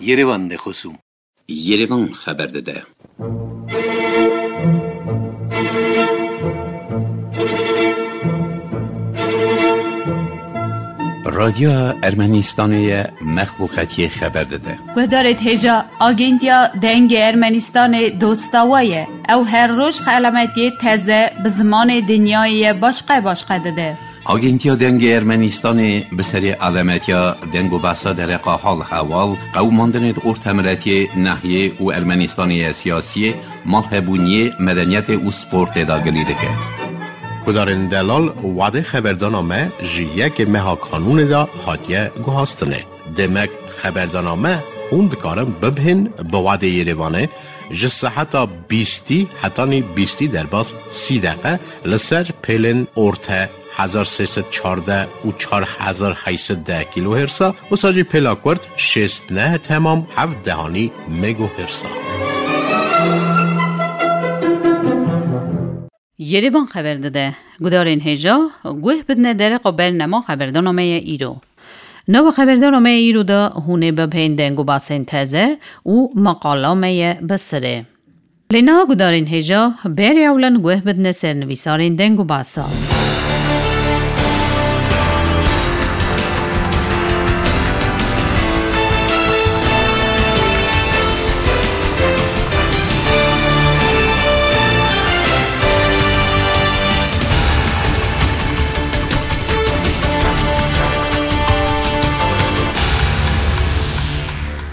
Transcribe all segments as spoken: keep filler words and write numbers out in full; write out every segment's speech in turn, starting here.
Yerevan de xosûm. Yerevan xeber dide. Radyoya Ermenistanê ye, mexluqetiyê xeber dide. Guhdarêt hêja, Agentiya Dengê Ermenistanê dostawa ye. Ew her roj xelametiyê teze bi zimanê dinyayê ye başqe başqe dide. Agentiya Dengê Ermenistanê bi serê alemetiya deng û behsa dereqa hal hewal, qewimandinê di ortemiretiyê, nehiyê û Ermenistanê ye siyasiyê, malhebûniyê, medeniyetê û sportê de gilî dike. Gudarên delal, wadê xeberdana me ji yekê meha kanûnê de hatiye guhastinê. Demek xeberdana me hûn dikarin bibhên bi wadê Yerevanê ji seheta bîstî hetanî bîstî derbas sî deqe li ser pêlên orte hezar sê sed çardeh û çar hezar heyt sed deh kîlohêrsa, wisa jî pêla kurt şêst neh temam heft dehanî megohêrsa. Yerevan xeber dide. Gudarên hêja, guh bidine dereqa bernema xeberdana me ye îro. Nava xeberdana me ye îro de hûn ê bibhên deng û basên teze û maqala me ye bi sirê. Lê niha gudarên hêja, berê ewlen guh bidine ser nivîsarên deng û basa.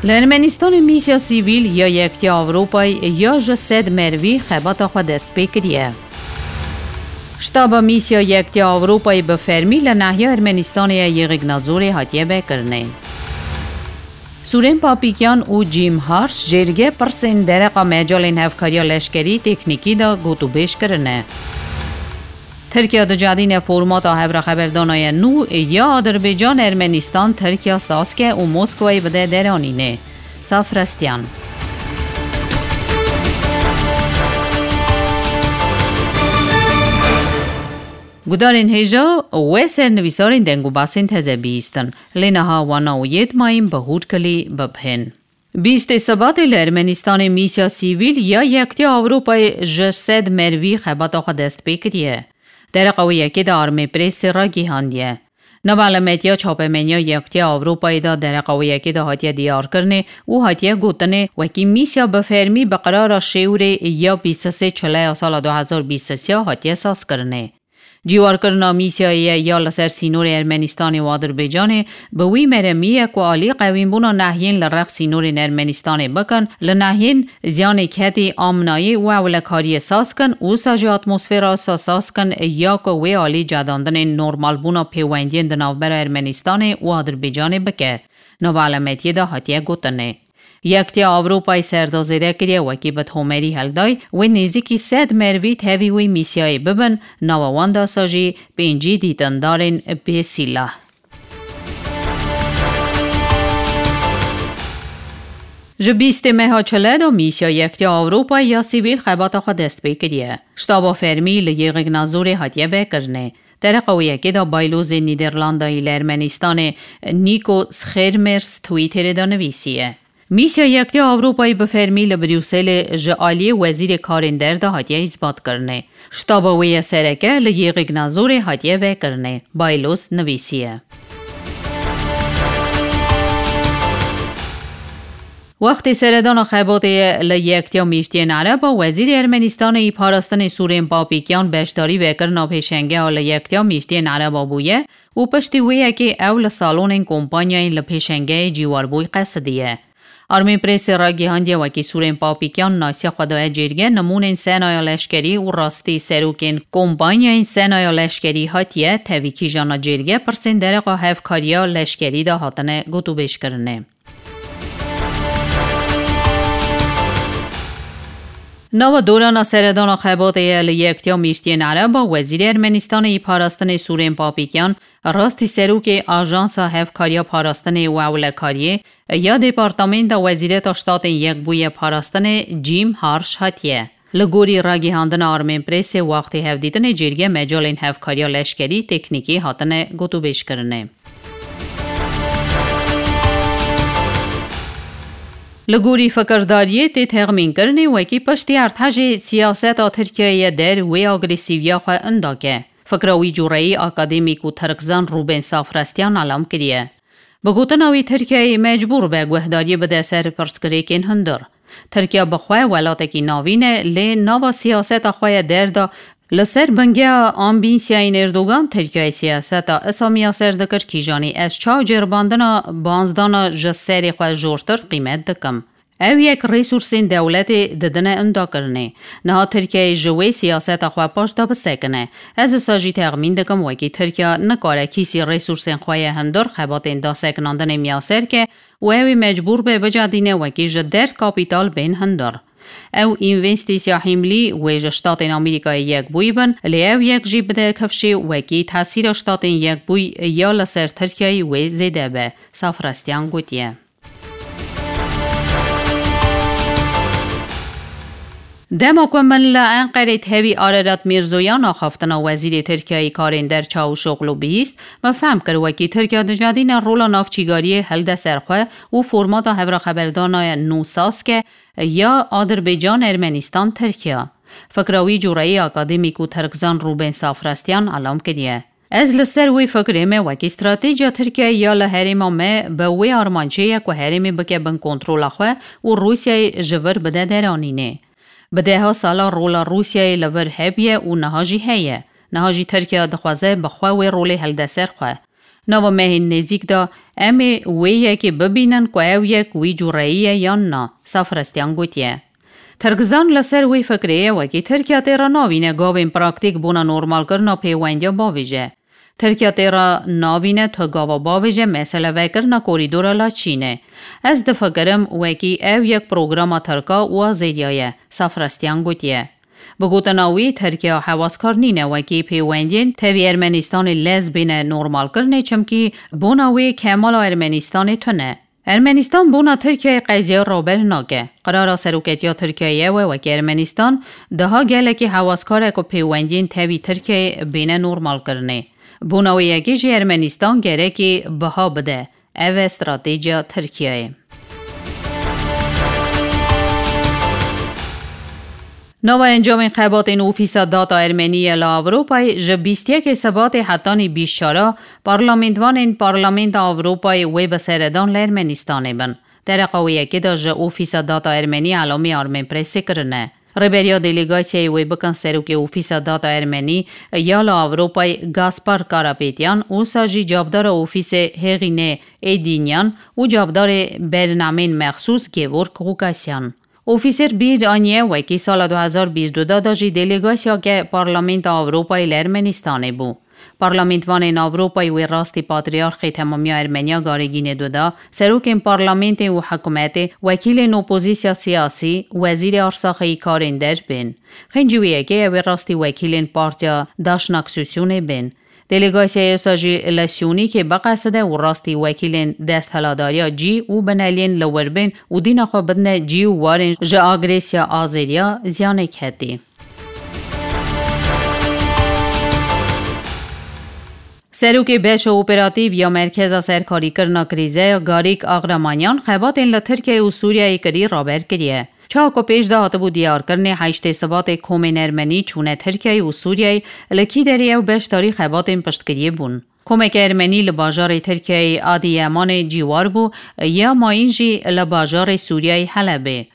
Li Ermenistanê mîsya sivîl ya Yektiya Ewropayê ya ji sed merivî xebata xwe dest pê kiriye. Ştaba mîsya Yektiya Ewropayê bi fermî li nahiya Ermenistanê ya Yêxîk Nazorê hatiye vekirinê. Sûrên Papîkyan û Jim Harsh jêrge pirsên dereqa mecalên hevkariya leşkerî teknîkî de gotûbêj kirine. Tirkiye dicedîne formata hevraxeberdana ya nû ya Adirbaycan, Ermenistan, Tirkiye saz ke û Moskwayê bide deranînê. Safrestyan. Gudarên hêja we ser nivîsarên deng û basên teze bihîstin. Lê niha wana û yê dimayîn bi hûrkilî bibhên. Bîstê Sibatê li Ermenistanê mîsya sivîl ya Yektiya Ewropayê ji sed merivî xebata xwe dest pê kiriye. Dereqa wê yekê de Armê Prêsê ragihandiye. Nava elemetiya çapemeniya Yektiya Ewropayê de dereqa wê yekê de hatiye diyarkirinê û hatiye gotinê, wekî mîsya bi fermî bi qirara şêwrê ya bîst sê çile ya sala du hezar bîst sê hatiye sazkirinê. Cîwarkirina mîsyayê ye ya li ser sînorê Ermenistanê û Adirbaycanê bi wî meremî ye ku alî qewînbûna nehiyên li rex sînorên Ermenistanê bikin, li nehiyên ziyanê ketî, amnayî û ewlekariyê saz kin, wisa jî atmosfera sa saz kin ya ku wê alî cedandinên normalbûna pêwendiyên di navbera Ermenistanê û Adirbaycanê bike. Nava elemetiyê de hatiye gotinê. Yektiya Ewropayê serdazêde kiriye, wekî bi tomerî helday, wê nêzîkî sed merivî tevî wê mîsyayê bibin, nava wan de sa jî pêncî dîtindarên bê sîlah. Ji bîstê meha çile de mîsya Yektiya Ewropayê ya sivîl xebata xwe dest pê kiriye. Ştaba fermî li Yêxîk Nazorê hatiye vekirinê. Dereqa wê yekê de Baylozê Nîderlandayî li Ermenistanê Nico Schermers Twitterê de nivîsiye. Mîsya Yektiya Ewropayê bi fermî li Brukselê ji aliyê Wezîrê Karên Derve hatiye îsbatkirinê. Ştaba wê ya sereke li Yêxîk Nazorê hatiye vekirinê, Bayloz nivîsiye. Wextê seredana xebatê ye li Yektiya Mîştiyên Ereba, Wezîrê Ermenistanê yî parastinê Sûrên Papîkyan beşdarî vekirina pêşengeha li Yektiya Mîştiyên Ereba bûye û piştî wê yekê ew li salonên kompanyayên li pêşengehê cîwarbûyî qesidiye. Armê Prêsê ragihandiye, wekî Sûrên Papîkyan nasiya xwe daye cêrge, nimûnên senaya leşkerî û rastî serokên kompanyayên senaya leşkerî hatiye tevî kîjana cêrge, pirsên dereqa hevkariya leşkerî de hatine gotûbêjkirinê. Nava dorana seredana xebatê ye li Yektiya Mîştiyên Ereba, Wezîrê Ermenistanê yî parastinê Sûrên Papîkyan rastî serokê Ajansa Hevkariya Parastinê û Ewlekariyê ya Departamenta Wezîreta Ştatên Yekbûyî ya Parastinê Jim Harsh hatiye. Li gorî ragihandina Armên Prêsê, wextê hevdîtinê cêrge mecalên hevkariya leşkerî, teknîkî hatine gotûbêjkirinê. Li gorî fikirdariyê tê texmînkirinê wekî piştî erdhejê siyaseta Tirkiyeyê der wê agresîviya xwe indake. Fikra wî cureyî akademîk û tirkzan Rûben Safrastyan elam kiriye. Bi gotina wî, Tirkiyeyê mecbûr be guhdariyê bide ser pirsgirêkên hundir. Tirkiye bi xwe welatekî navîn e, lê nava siyaseta xwe ye derda. Li ser bingeha ambînsiyayên Erdogan, Tirkiyeyê siyaseta Îslamî ya ser dikir, kîjanî ez çaw ceribandina banzdana ji serê xwe jortir qîmet dikim. Ew yek resûrsên dewletê didine indakirinê. Niha Tirkiyeyê ji wê siyaseta xwe paş de bisekine. Ez wisa jî texmîn dikim, wekî Tirkiye nikare kîsî resûrsên xwe yê hundir xebatên dasekinandinê miyaser ke û ew ê mecbûr be bicedîne wekî ji der kapîtal bên hundir. Ew învestîsiya hîmlî wê ji Ştatên Amerîkayê Yekbûyî bin, lê ew yek jî bide kifşê wekî tesîra Ştatên Yekbûyî ya li ser Tirkiyeyê wê zêde be, Safrastyan gotiye. Dema ku min li Enqerê tevî Arerat Mîrzoyan axaftina Wezîrê Tirkiyeyê Karên Der Çavuşoglu bihîst, min fehm kir wekî Tirkiye dijedîne rola navçîgariyê hilde ser xwe û formata hevra xeberdana nû saske ya Adirbecan Ermenistan Tirkiye. Fikra wî cureyî akademîk û tirkzan Rûben Safrastyan elam kiriye. Ez li ser wê fikrê me wekî stratejiya Tirkiyeyê ya li herêma me bi wê armancê ye ku herêmê bike bin kontrola xwe û Rûsyayê ji vir bide deranînê. Bi deha sala rola Rûsyayê li vir hebûye û niha jî heye. Niha jî Tirkiye dixwaze bi xwe wê rolê hilde ser xwe. Nava mehên nêzîk de em ê wê yekê bibînin ku ew yek wî cureyî ye yan na, Safrastyan gotiye. Tirkzan li ser wê fikrê ye wekî Tirkiye tê re navîne gavên praktîk bona normalkirina pêwendiya bavêje. Tirkiye tê re navîne tu gava bavêje mesele vekirina korîdora Laçînê. Ez difikirim wekî ew yek programa Tirka û Azeriya ye, Safrastyan gotiye. Bi gotina wî, Tirkiye hewaskar nîne wekî pêwendiyên tevî Ermenistanê lez bêne normalkirinê, çimkî bona wê kemala Ermenistanê tune. Ermenistan bona Tirkiyeyê qeziya raber nake. Qirara seroketiya Tirkiyeyê ew e wekî Ermenistan daha gelekî hewaskar e ku pêwendiyên tevî Tirkiyeyê bêne normalkirinê. Bona wê yekê jî Ermenistan gerekî biha bide. Ev e stratejiya Tirkiyeyê. Nava encamên xebatên Ofîsa Data Ermenî ye li Ewropayê ji bîst yekê Sibatê hetanî bîst çar a parlamentvanên Parlamenta Ewropayê wê bi seredan li Ermenistanê bin. Dereqa wê yekê de ji Ofîsa Data Ermenî elamî Armenpressê kirine. Rêberiya delegasyayê wê bikin serokê Ofîsa Data Ermenî ya li Ewropayê Gaspar Karapetyan, wisa jî cavdara Ofîsê Hêxînê Êdînyan û cavdarê bernameyên mexsûs Gevorg Gukasyan. Ofîser bîr aniye wekî sala du hezar bîst û du de jî delegasyake Parlamenta Ewropayê li Ermenistanê bû. Parlamentvanên Ewropayê wê rastî Patrîarxê Temamiya Ermeniya Garîgînê Duda, serokên parlamentê û hikûmetê, wekîlên opozîsya siyasî, wezîrê arsaxeyî karên der bên. Xêncî wê yekê ew ê rastî wekîlên Partiya Daşnaksusyonê bên. Delegasyayê wisa jî li Siyûnîkê biqeside û rastî wekîlên desthilatdariya cî û bineliyên li wir bên û dîna xwe bidine cî û warên ji agresiya Azeriya ziyanê ketî. Serokê Beşa Operatîf ya Merkeza Serkarîkirina Krîze ya Garîk Agramanyan xebatên li Tirkiyeyê û Sûriyeyê kirî raber kiriye. Çawa ku pêş de hatibû diyarkirinê, heştê Sibatê komên Ermenî çûne Tirkiyeyê û Sûriyeyê, li kî derê ew beşdarî xebatên piştgiriyê bûn. Komeke Ermenî li bajarê Tirkiyeyê Adiyamanê cîwar bû, ya mayîn jî li bajarê Sûriyeyê Helebê.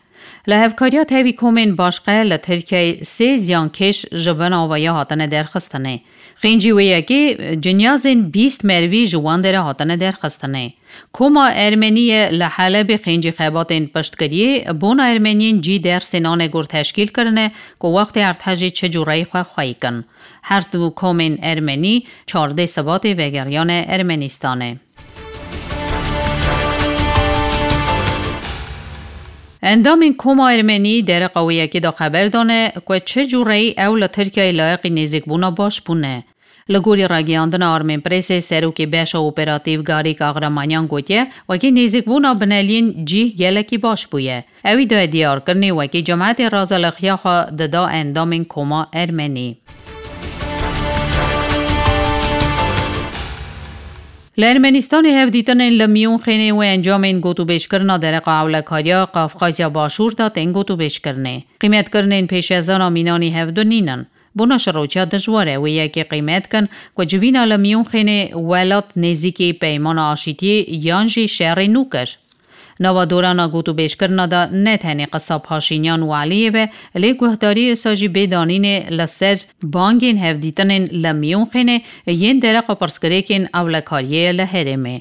Li hevkariya tevî komên başqe li Tirkiyeyê sê ziyankêş ji bin avaya hatine derxistinê. Xêncî wê yekê cinyazên bîst merivî ji wan derê hatine derxistinê. Koma Ermenî ye li Helebê xêncî xebatên piştgiriyê bona Ermeniyên cî dersê nanê gur teşkîl kirine ku wextê erdhejê çi cûreyî xwe xweyî kin. Her du komên Ermenî çardeh Sibatê vegeriyane Ermenistanê. Endamên Koma Ermenî dereqa wê yekê de xeber dane ku çi cûreyî ew li Tirkiyeyê layiqî nêzîkbûna baş bûne. Li gorî ragihandina Armenpressê, serokê Beşa Operatîf Garîk Agramanyan gotiye, wekî nêzîkbûna bineliyên cî gelekî baş bûye. Ewî daye diyarkirinê wekî cimetê razalixiya xwe dida endamên Koma Ermenî. Li Ermenistanê hevdîtinên li Miyûnxênê û encamên gotûbêjkirina dereqa ewlekariya Qafqazya Başûr de tên gotûbêjkirinê. Qîmetkirinên pêşezana mînanî hevdu nînin. Bona şiroçiya dijwar e wê yekê qîmet kin ku civîna li Miyûnxênê welat nêzîkî peymana aşîtiyê yan jî şerê nû kir. Nava dorana gotûbêjkirina de ne tenê qisa Paşînyan û Eliyê ve, lê guhdarî esa jî bê danînê li ser bangên hevdîtinên li Miyûnxênê yên dereqa pirsgirêkên ewlekariyê ye li herêmê.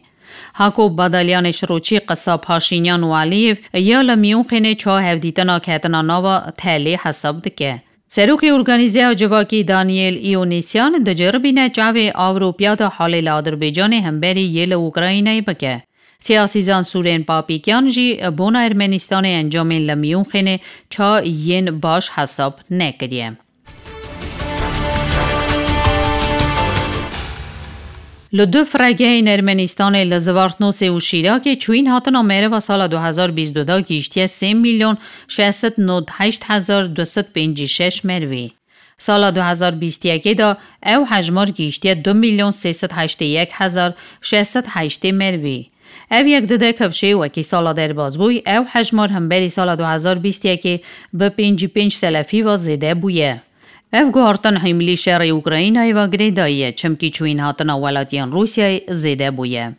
Hako Badalyanê Şiroçî qisa Paşînyan û Eliyê ya li Miyûnxênê çawa hevdîtina ketina nava telê hesab dike. Serokê Organîzeya Civakî Daniel Ionisyan diceribîne çavê Ewropiya de halê li Adirbaycanê hemberî yê li Ukraynayê bike. Siyasîzan Sûrên Papîkyan jî bona Ermenistanê encamên li Miyûnxênê ça yên baş hesab nekiriye. Li du firegehên Ermenistanê li Zivartnosê û Şîrakê çûyîn hatina meriva sala du hezar bîst û du gihîştiye sê milyon şeş sed nod heşt hezar du sed pêncî şeş merivî. Sala du hezar bîst yekê de ew hejmar gihîştiye du milyon sê sed heştê yek hezar şeş sed heştê merivî. Ev yek dide kifşê wekî sala derbas bûy, ew hejmar hemberî sala du hezar bîst yekê bi pêncî pênc selefî ve zêde bûye. Ev guhartin hîmilî şerê Ukraynayê ve girêdayî ye, çimkî çûyîn hatina welatiyên Rûsyayê zêde bûye.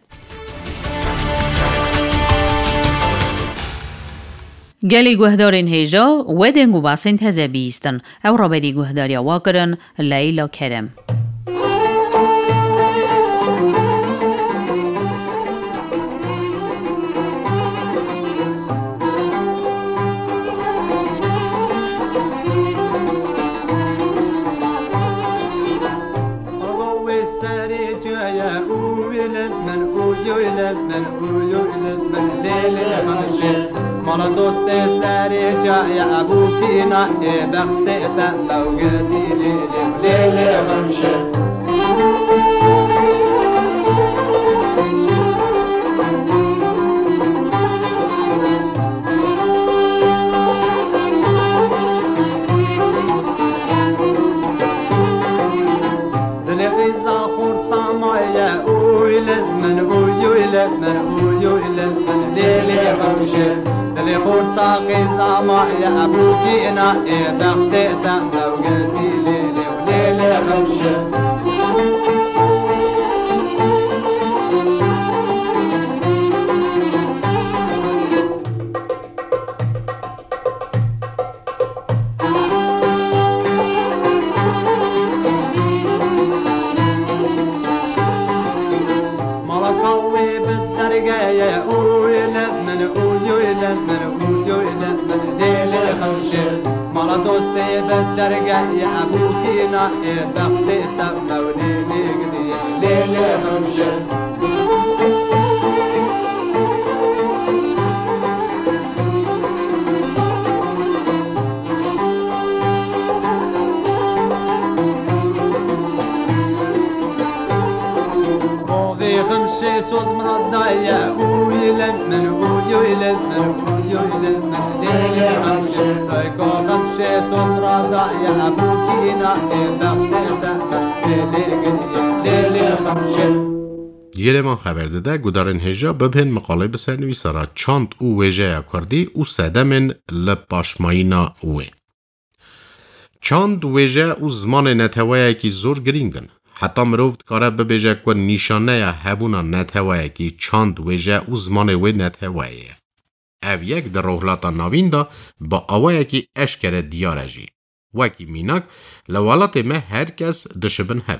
Gelî guhdarên hêja, we deng û basên teze bihîstin. Ew raberî guhdariya wa kirin, Leyla Kerem. Wê serê caye û wî li min û yoy li min û yoy li min lê lê xemşe. Mala dostê serê caye ebû kîna ê bextê te mewgedî lê lê lê lê xemşe. Dilê qîza xurta maye, uy li min, uy, uy li min, uy, uy li min, lê lê xemşe. Dilê xurta qîza maye, ebûkîna ê bextê te mewgedî lê lê, lê lê xemşe. Mala kawê bi dergeye, uy li min, uy, uy li min, uy, uy li min, lê lê xemşe. Mala dostê bi dergeye, ebûkîna ê bextê te mewlê lê gidiye, lê lê xemşe. Bovê xemşê soz min daye, uy li min, uy, uy li min, uy, uy li min, lê lê xemşê. Dayka xemşê soz min daye, ebûkîna ê bextê te, lê lê gidiye, lê lê xemşê. Yerevan xeber dide, gudarên hêja bibhên miqalê bi sernivîsara çand û wêjeya kurdî û sedemên li paşmayîna wê. Çand, wêje û zimanê neteweyekî zor girîng in. Heta mirov dikare bibêje ku nîşaneya hebûna neteweyekî çand, wêje û zimanê wê neteweyê ye. Ev yek di Rojhilata Navîn de bi awayekî eşkere diyar e jî. Wekî mînak, li welatê me her kes dişibin hev.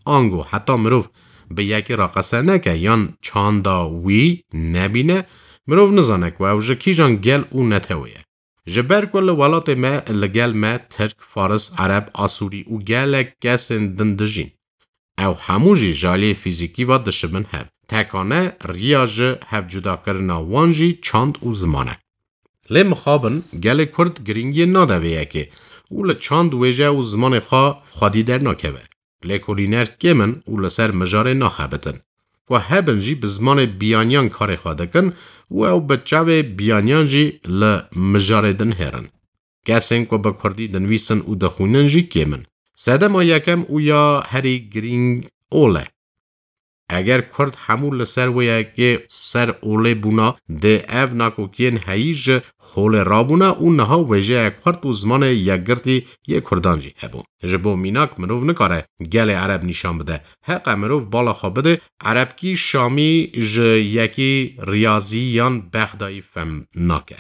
Ango heta mirov bi yekî re qese neke yan çanda wî nebîne, mirov nizane ku ew ji kîjan gel û netewê ye. Ji ber ku li welatê me li gel me Tirk, Faris, Ereb, Asûrî û gelek kesên din dijîn. Ew hemû jî ji aliyê fîzîkî ve dişibin hev. Tekane riya ji hevcudakirina wan jî çand û ziman e. Lê mixabin gelê Kurd girîngiyê nade vê yekê û li çand, wêje û zimanê xwe xwedî dernakeve. Lêkolîner kêm in û li ser mijarê naxebitin. Ku hebin jî bi zimanê biyaniyan karê xwe dikin û ew bi çavê biyaniyan jî li mijarê dinihêrin. Kesên ku bi kurdî dinivîsin û dixwînin jî kêm in. Sedema yekem û ya herî girîng ol e. Eger Kurd hemû li ser wê yekê ser olê bûna, dê ev nakokiyên heyî ji holê rabûna û niha wêjeyek xurt û zimanê yekgirtî yê Kurdan jî hebû. Ji bo mînak, mirov nikare gelê Ereb nîşan bide. Heqe mirov bala xwe bide, Erebkî Şamî ji yekî Riyazî yan Bexdayî fehm nake.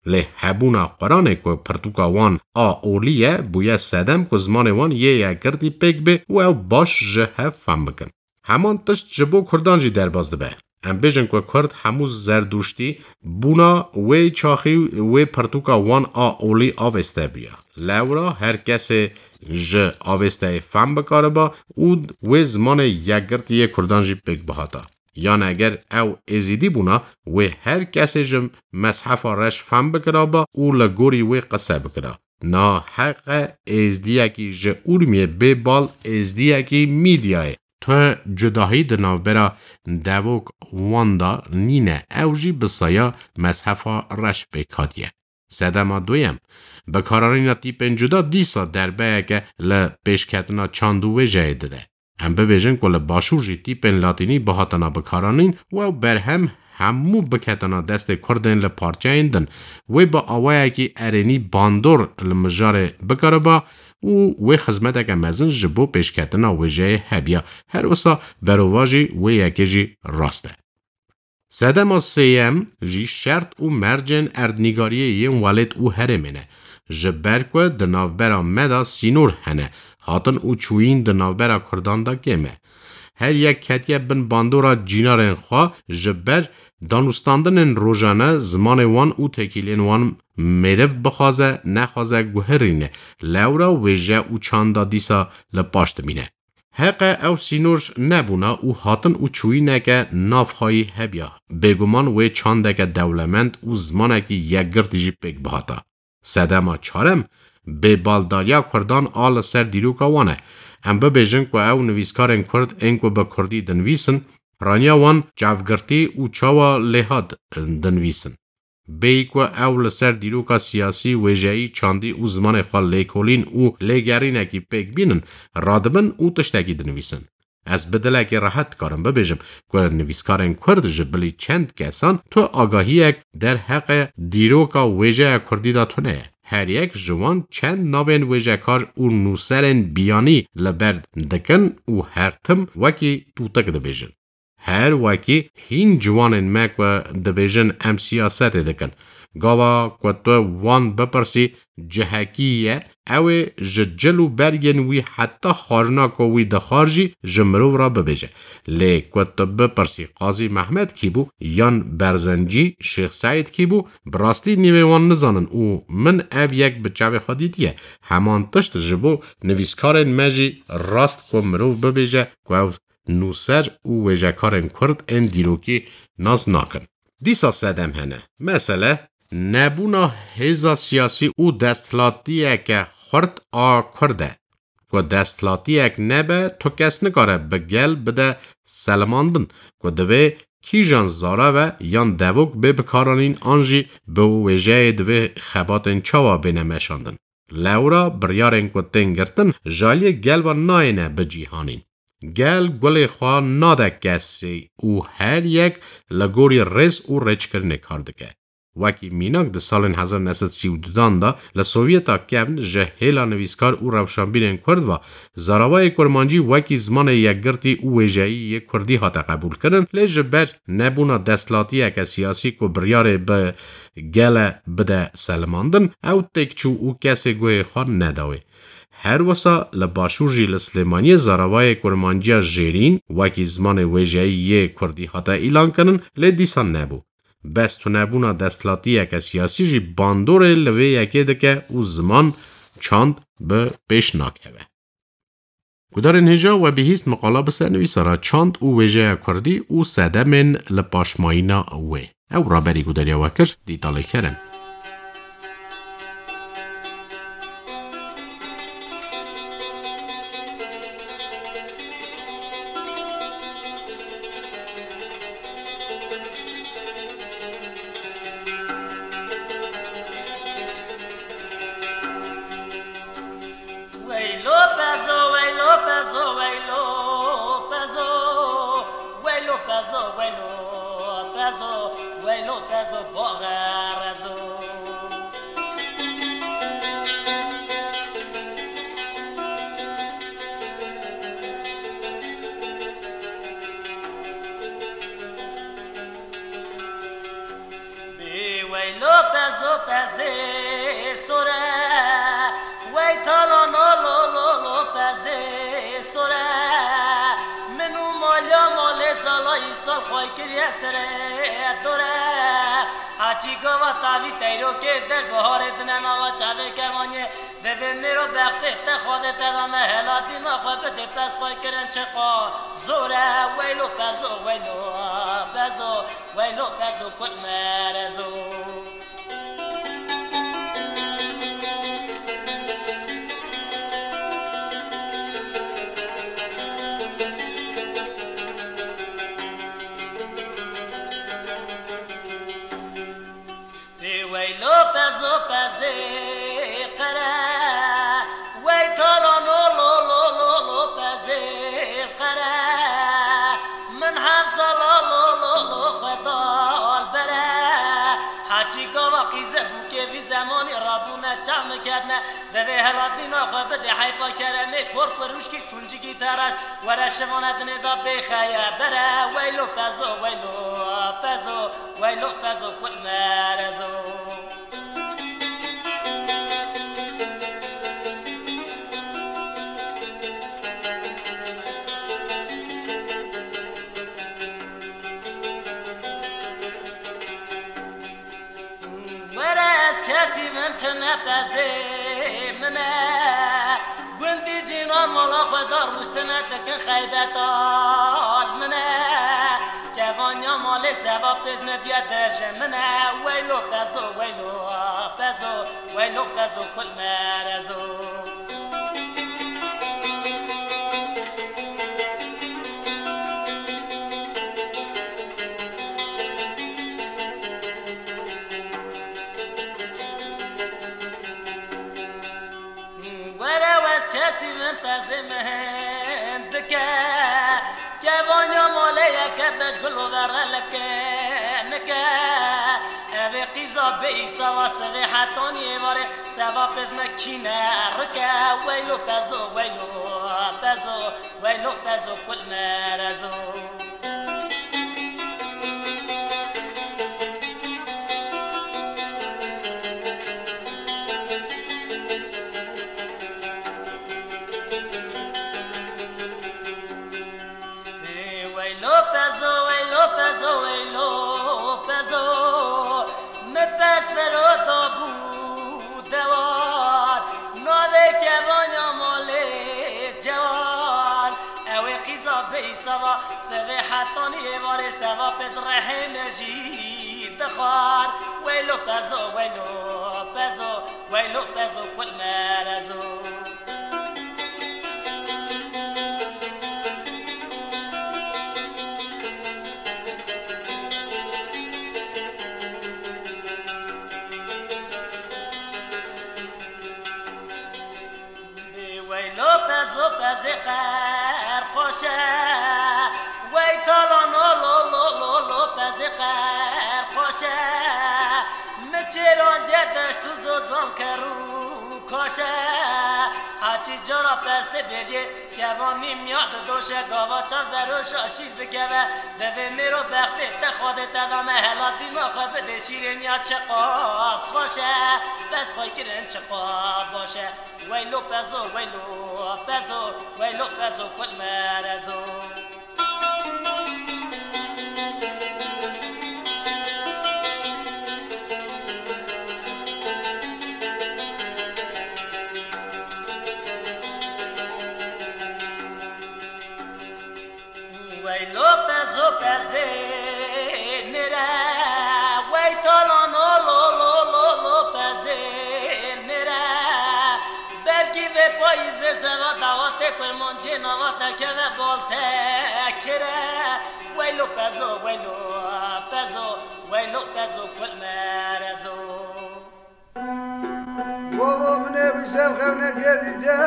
Lê hebûna Quranê ku pirtûka wan a olî ye, bûye sedem ku zimanê wan yê yekgirtî pêk bê û ew baş ji hev fehm bikin. Heman tişt ji bo Kurdan jî derbas dibe. Em bêjin ku Kurd hemû Zerdûştî bûna wê çaxî wê pirtûka wan a olî avêste bûye. Lewra her kesê ji avêsteyê fehm bikariba û wê zimanê yekgirtî yê Kurdan jî pêk bihata. Yan eger ew Êzîdî bûna, wê her kesê ji mezhefa reş fehm bikiraba û li gorî wê qise bikira. Na heqe Êzdiyekî ji Urmiyê bê bal Êzdiyekî Mîdyayê. Tu cudahî di navbera devok wan de nîne, ew jî bi saya mezhefa reş pêk hatiye. Sedema duyem, bikaranîna tîpên cuda dîsa derbeyeke li pêşketina çand û wêjeyê dide. Em bibêjin ku li başûr jî tîpên latînî bihatana bikaranîn û ew berhem hemû biketana destê Kurdên li parçeyên din. Wê bi awayekî erênî bandor li mijarê bikariba û wê xizmeteke mezin ji bo pêşketina wêjeyê hebiya. Her wisa berovajî wê yekê jî rast e. Sedema sêyem jî şert û mercên erdnîgariyê yên welêt û herêmê ne. Ji ber ku di navbera me de sînor hene, hatin û çûyîn di navbera Kurdan de kêm e. Her yek ketiye bin bandora cînarên xwe, ji ber danûstandinên rojane zimanê wan û têkîlên wan mêriv bixwaze nexwaze guherîne, lewra wêje û çanda dîsa li paş dimîne. Heqe ew sînor nebûna û hatin û çûyîneke navxweyî hebiya. Bêguman wê çandeke dewlemend û zimanekî yekgirtî jî pêk bihata. Sedema çarem, bêbaldariya Kurdan a li ser dîroka wan e. Em bibêjin ku ew nivîskarên Kurd ên ku bi Kurdî dinivîsin, piraniya wan çavgirtî û çawa lêhat dinivîsin. Bêyî ku ew li ser dîroka siyasî, wêjeyî, çandî û zimanê xwe lêkolîn û lêgerînekî pêk bînin, radibin û tiştekî dinivîsin. Ez bi dilekî rehet dikarim bibêjim ku nivîskarên Kurd ji bilî çend kesan tu agahiyek derheqê dîroka wêjeya Kurdî de tune ye. Her yek ji wan çend navên wêjekar û nûserên biyanî li ber dikin û her tim wekî tûtik dibêjin. Her wekî hîn ciwanên me ku dibêjin em siyasetê dikin. Gava ku tu wan bipirsî cihekî ye, ew ê ji cil û bergên wî heta xwarina ku wî dixwar jî ji mirov re bibêje. Lê ku tu bipirsî Qazî Mehmed kî bû yan Berzencî Şêx Seîd kî bû, bi rastî nîvê wan nizanin û min ev yek bi çavê xwe dîtiye. Heman tişt ji bo nivîskarên me jî rast ku mirov bibêje ku ew nûser û wêjekarên Kurd ên dîrokî nas nakin. Dîsa sedem hene. Mesele, nebûna hêza siyasî û desthilatiyeke xurt a Kurd e. Ku desthilatiyek nebe, tu kes nikare bi gel bide selemandin. Ku divê kîjan zarav e yan devok bê bikaranîn an jî bi wêjeyê divê xebatên çawa bêne meşandin. Lewra biryarên ku tên girtin ji aliyê gel ve nayêne bi cîhanîn. Gel gulê xwe nade kesê û her yek li gorî rêz û rêçkirinê kar dike. Wekî mînak di salên hezar neh sed sî û dudan de li Sovyeta kevn ji hêla nivîskar û rewşanbîrên Kurd ve zaravayê kurmancî wekî zimanê yekgirtî û wêjeyî yê Kurdî hate qebûlkirin, lê ji ber nebûna desthilatiyeke siyasî ku biryarê bi gele bide selimandin, ew têk çû û kesê guhê xwe neda wê. Her wisa li Başûr jî li Silêmaniyê zaravayê kurmanciya jêrîn wekî zimanê wêjeyî yê Kurdî hate îlankirin, lê dîsa nebû. Bes tunebûna desthilatiyeke siyasî jî bandorê li vê yekê dike û ziman, çand bi pêş nakeve. Gudarên hêja, we bihîst miqala bi ser nivîsara çand û wêjeya Kurdî û sedemên li paşmayîna wê. Ew raberî gudariya we kir, Dîtalê Kerem. Weylo pezo, weylo pezo, weylo pezo. Pezo baxerezo. Bê weylo pezo pezê sor e, wey talano lo lo lo pezê sor e. Min û maliya malê sala îsal xwey kiriye serê dor e. Haçî gava tavî teyrokê der biharê dine nava çavê kevaniyê. Divê mêro bextê te Xwedê te da me helatîna xwe bidê pez xwe kirin çiqa zor e. Weylo pezo, weylo pezo, weylo pezo kul merezo. Ê weylo pezo pezê qere, wey talano lo lo lo lo pezê qere. Min heft sala lo lo lo xwe dal bere. Haçî gava qîze bûkê vî zemanî rabûne çav miketne. Divê helatîna xwe bidê heyfa keremê, pork û rûşkî tuncikî teraş. Were şivane dinê da bêxeye bere. Weylo pezo, weylo pezo, weylo pezo kul merezo. Were ez kesî vim, tu ne pezê min e. Gundî cînan mala xwe da rûştine dikin xeybet al min e. Kevanya malê seva pêz me biye dej min e. Weylo pezo, weylo pezo, weylo pezo kul merezo. Were wez kesî min pezê min dike. Kevanya malê yeke beş gilo vere leke nike. Evê qîza bê îsava sivê hetanî êvarê seva pez me kîne rike. Weylo pezo, weylo pezo, weylo pezo kul merezo. Ê weylo pezo, weylo pezo, weylo pezo. Mi pez fero da bû dewar, navê kevanya malê cewar. Ew ê qîza bê îsava, sivê hetanî êvarê seva pez rehê me jî dixwar. Weylo pezo, weylo pezo, weylo pezo kul merezo. Weylo pezo pezê qerqoş e, wey talano lo lo lo lo pezê qerqoş e. Mi çêran cê deşt û zozan ker û kaş e. Haçî cara pestê bêriyê kevanî miya didoşe, gava çav beroşa şîr dikeve. Divê mêro bextê te Xwedê te dane helatîna xwe bidê şîrê miya çiqas xweş e. Pez xwe kirin çiqa baş e. Weylo pezo, weylo pezo, weylo pezo kul merezo. Weylo pezo pezê nêre, wey talano lo lo lo lo pezê nêre. Belkî vê payîzê seva dawatê kurmancê nava te keve bal te kire. Weylo pezo, weylo pezo, weylo pezo kul merezo. Baba min ê wî şev xewnekê dîte.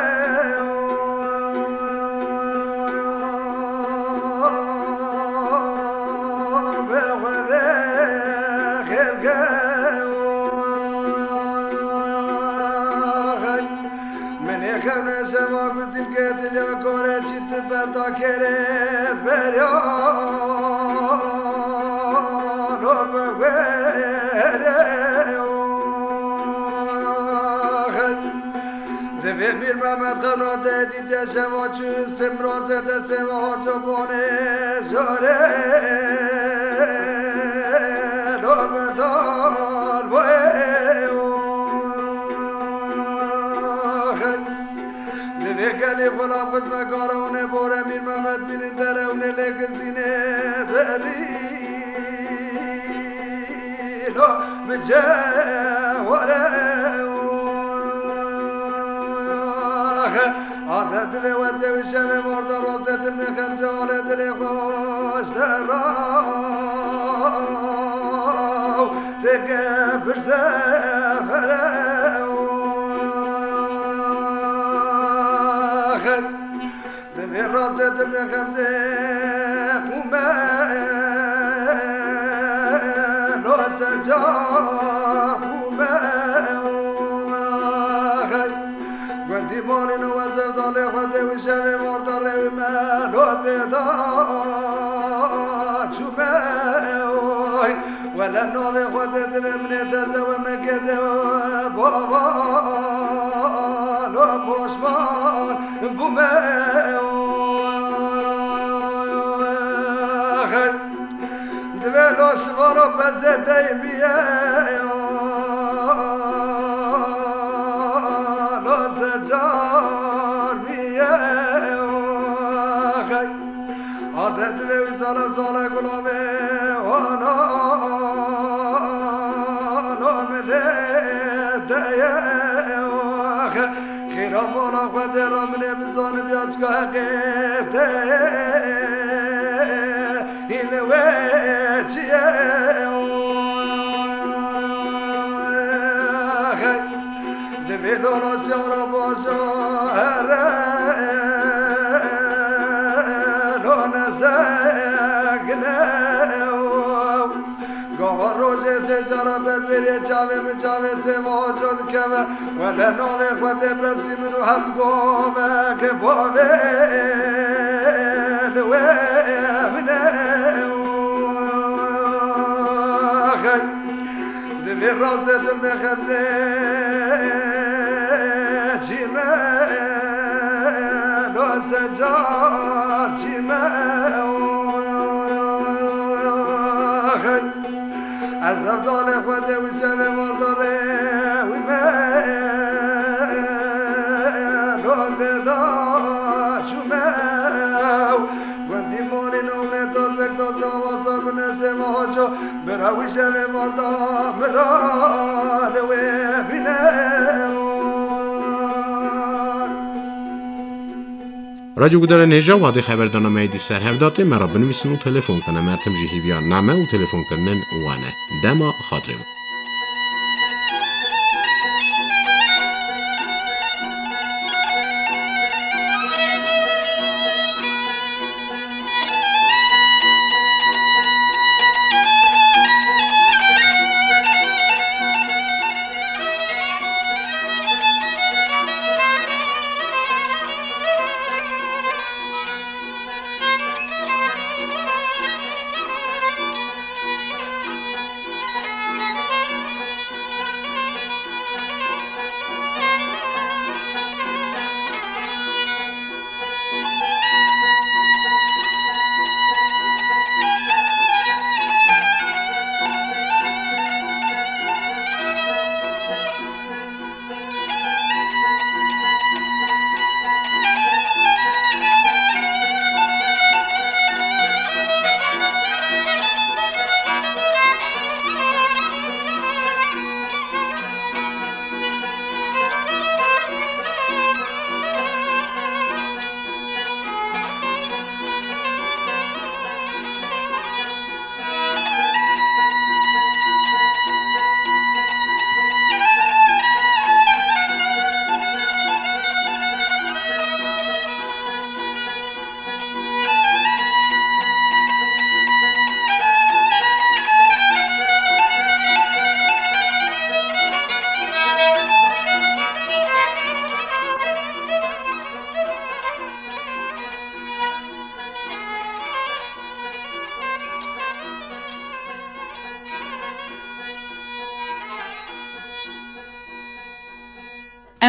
Min ê xewne şeva ku zîlkê diliya kore çî ti berda kerê berya lo bi were. Divê Mîr Mehmed xewna te dîtiye şeva çû simroze de seva cobanê jare lo bi dal boye. Divê gelî xulam xizmekara hûnê bore Mîr Mehmed bînin dere hûnê lê gizînê berî. Lo bi ceware. Adet divê wezê wî şevê varda roz de dimê xemzê alê dilê xweş de raw têke pirse fere. Divê rast de dimê xemzê xûme lo secar xûme. Gundî malî no we zevdalê xwe dê wî şevê varda rê wî me lo tê da çûme. Wele navê xwe dê divê min ê teze we mekê de baba lo poşman bûme. Divê lo şivaro bezê deymiye lo secar miye. Adet divê wî zalem zale gulavê wana lo min lê deye. Xêra mala xwe dê ra min ê bizanim ya çika heqê deye. Hîn wê çi ye? Divê dola siyara baja here lo nezegine. Gava rojê sê cara ber bêrê çavê min çavê sê vaco dikeve. Wele navê xwe tê pesî min û heft govek bavê li wê min e. Divê rast de dilmê xemzê çî me lo secar çî me. Ez hevdalê xwe de wî şevê vardarê wî me lo tê da çûme. Gundî malî navnê tazek taze ava sar bine sê me haco. Bira wî şevê varda mira li wê bîne. Radyo Gudarên hêja wadê xeberdana me yê dî ser hev datê, me re binivîsin û telefon kine. Mertim jî hîviya name û telefonkirinên wan e. Dema xatirê we.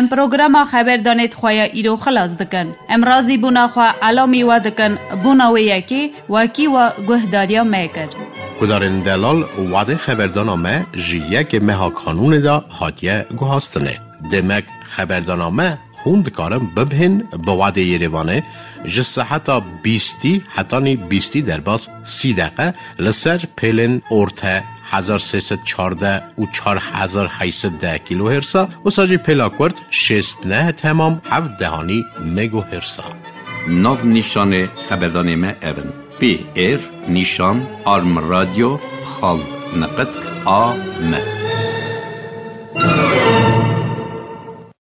Em programa xeberdanê di xwe ya îro xilas dikin. Em razîbûna xwe elamî we dikin, bona wê yekê wekî we guhdariya me kir. Guhdarên delal, wadê xeberdana me ji yekê meha Kanûnê de hatiye guhastinê. Demek xeberdana me hûn dikarin bibihên bi wadê Yerêvanê ji seheta bîstî hetanî bîstî derbas sî deqe li ser pêlên orte hezar sê sed çardeh û çar hezar heyt sed deh kîlohêrsa, wisa jî pêla kurt şêst neh temam heft dehanî megohêrsa. Nav nîşanê xeberdanê me ev in: P R nîşan arm radyo xal neqet a m.